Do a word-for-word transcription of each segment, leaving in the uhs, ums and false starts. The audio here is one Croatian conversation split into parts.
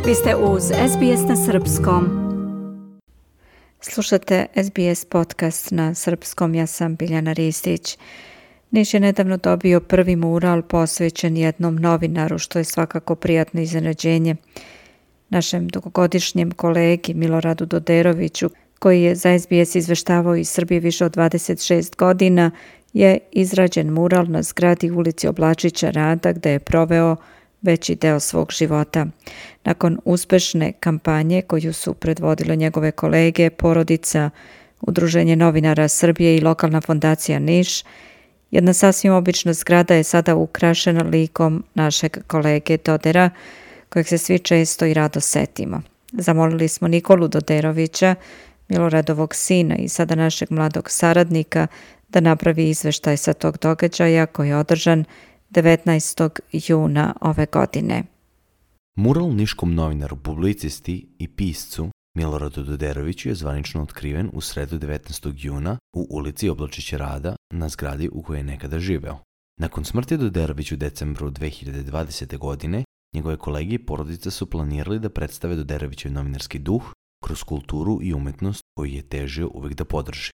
Vi ste uz S B S na srpskom. Slušate S B S podcast na srpskom, ja sam Biljana Ristić. Niš je nedavno dobio prvi mural posvećen jednom novinaru, što je svakako prijatno iznenađenje. Našem dugogodišnjem kolegi Miloradu Doderoviću, koji je za S B S izveštavao iz Srbije više od dvadeset šest godina, je izrađen mural na zgradi ulici Oblačića Rada, gde je proveo veći deo svog života. Nakon uspešne kampanje koju su predvodile njegove kolege, porodica, Udruženje novinara Srbije i lokalna fondacija Niš, jedna sasvim obična zgrada je sada ukrašena likom našeg kolege Dodera, kojeg se svi često i rado setimo. Zamolili smo Nikolu Doderovića, Miloradovog sina i sada našeg mladog saradnika, da napravi izveštaj sa tog događaja koji je održan devetnaestog juna ove godine. Mural niškom novinaru, publicisti i piscu Miloradu Doderoviću je zvanično otkriven u sredu devetnaestog juna u ulici Oblačića Rada na zgradi u kojoj je nekada živeo. Nakon smrti Doderovića u decembru dve hiljade dvadesete. godine, njegove kolege i porodica su planirali da predstave Doderovićev novinarski duh kroz kulturu i umetnost koju je težio uvijek da podrži.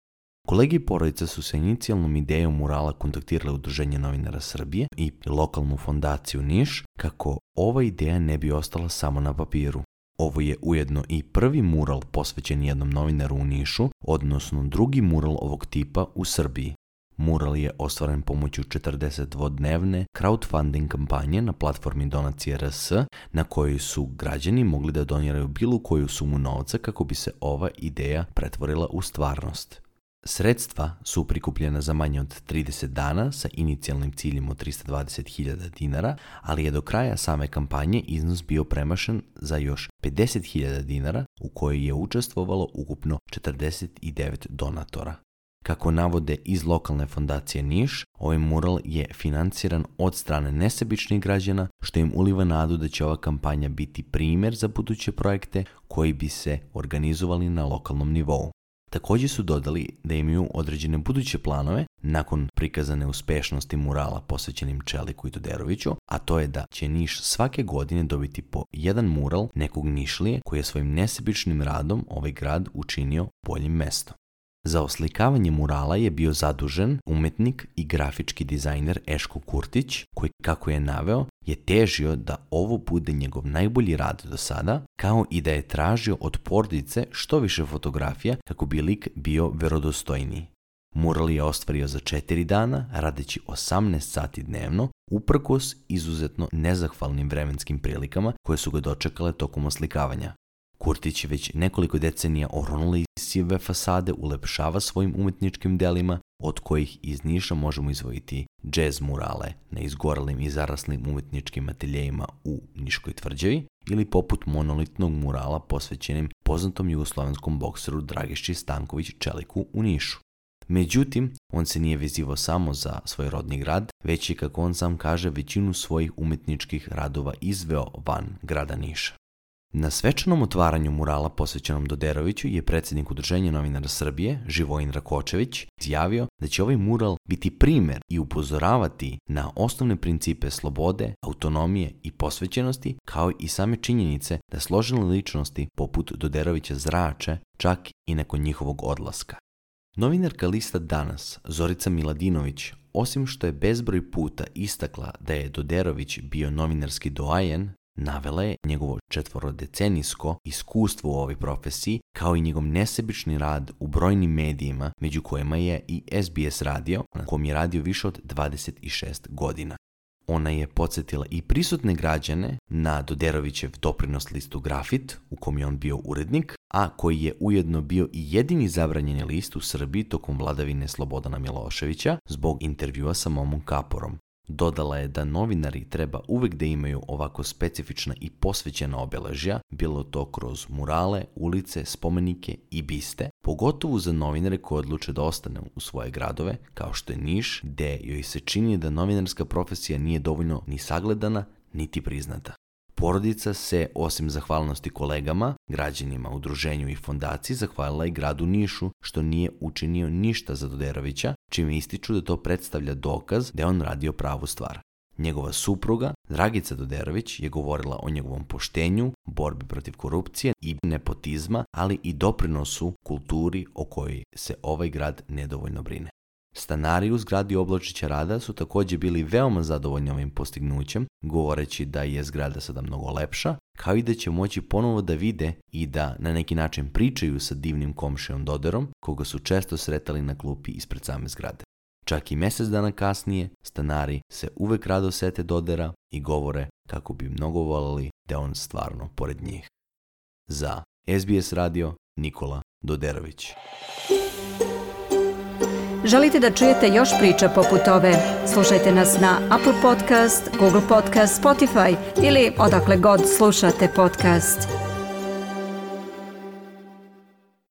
Kolege i porodica su sa inicijalnom idejom murala kontaktirali Udruženje novinara Srbije i lokalnu fondaciju Niš kako ova ideja ne bi ostala samo na papiru. Ovo je ujedno i prvi mural posvećen jednom novinaru u Nišu, odnosno drugi mural ovog tipa u Srbiji. Mural je ostvaren pomoću četrdesetdvodnevne crowdfunding kampanje na platformi Donacije R S, na kojoj su građani mogli da doniraju bilo koju sumu novca kako bi se ova ideja pretvorila u stvarnost. Sredstva su prikupljena za manje od trideset dana sa inicijalnim ciljem od trista dvadeset hiljada dinara, ali je do kraja same kampanje iznos bio premašen za još pedeset hiljada dinara, u kojoj je učestvovalo ukupno četrdeset devet donatora. Kako navode iz lokalne fondacije Niš, ovaj mural je financiran od strane nesebičnih građana, što im uliva nadu da će ova kampanja biti primjer za buduće projekte koji bi se organizovali na lokalnom nivou. Također su dodali da imaju određene buduće planove nakon prikazane uspešnosti murala posvećenim Čeliku i Doderoviću, a to je da će Niš svake godine dobiti po jedan mural nekog Nišlije koji je svojim nesebičnim radom ovaj grad učinio boljim mestom. Za oslikavanje murala je bio zadužen umetnik i grafički dizajner Eško Kurtić, koji, kako je naveo, je težio da ovo bude njegov najbolji rad do sada, kao i da je tražio od porodice što više fotografija kako bi lik bio verodostojniji. Mural je ostvario za četiri dana, radeći osamnaest sati dnevno, uprkos izuzetno nezahvalnim vremenskim prilikama koje su ga dočekale tokom oslikavanja. Kurtić već nekoliko decenija oronule sive fasade ulepšava svojim umetničkim delima, od kojih iz Niša možemo izvojiti džez murale na izgorelim i zaraslim umetničkim ateljejima u Niškoj tvrđavi ili poput monolitnog murala posvećenim poznatom jugoslovenskom bokseru Dragiši Stanković Čeliku u Nišu. Međutim, on se nije vezivao samo za svoj rodni grad, već je, kako on sam kaže, većinu svojih umetničkih radova izveo van grada Niša. Na svečanom otvaranju murala posvećenom Doderoviću je predsjednik Udruženja novinara Srbije, Živojin Rakočević, izjavio da će ovaj mural biti primjer i upozoravati na osnovne principe slobode, autonomije i posvećenosti, kao i same činjenice da složene ličnosti poput Doderovića zrače čak i nakon njihovog odlaska. Novinarka lista Danas, Zorica Miladinović, osim što je bezbroj puta istakla da je Doderović bio novinarski doajen, navela je njegovo četvorodecenijsko iskustvo u ovoj profesiji, kao i njegov nesebični rad u brojnim medijima, među kojima je i S B S radio, na kom je radio više od dvadeset šest godina. Ona je podsjetila i prisutne građane na Doderovićev doprinos listu Grafit, u kom je on bio urednik, a koji je ujedno bio i jedini zabranjeni list u Srbiji tokom vladavine Slobodana Miloševića zbog intervjua sa Momom Kaporom. Dodala je da novinari treba uvijek da imaju ovako specifična i posvećena obeležja, bilo to kroz murale, ulice, spomenike i biste, pogotovo za novinare koji odluče da ostane u svoje gradove, kao što je Niš, gde joj se čini da novinarska profesija nije dovoljno ni sagledana, niti priznata. Porodica se, osim zahvalnosti kolegama, građanima, udruženju i fondaciji, zahvalila i gradu Nišu, što nije učinio ništa za Doderovića, čime ističu da to predstavlja dokaz da je on radio pravu stvar. Njegova supruga, Dragica Doderović, je govorila o njegovom poštenju, borbi protiv korupcije i nepotizma, ali i doprinosu kulturi o kojoj se ovaj grad nedovoljno brine. Stanari u zgradi Oblačića Rada su također bili veoma zadovoljni ovim postignućem, govoreći da je zgrada sada mnogo lepša, kao i da će moći ponovo da vide i da na neki način pričaju sa divnim komšijom Doderom, koga su često sretali na klupi ispred same zgrade. Čak i mjesec dana kasnije, stanari se uvek rado sete Dodera i govore kako bi mnogo voljeli da je on stvarno pored njih. Za S B S radio, Nikola Doderović. Želite da čujete još priča poput ove? Slušajte nas na Apple Podcast, Google Podcast, Spotify ili odakle god slušate podcast.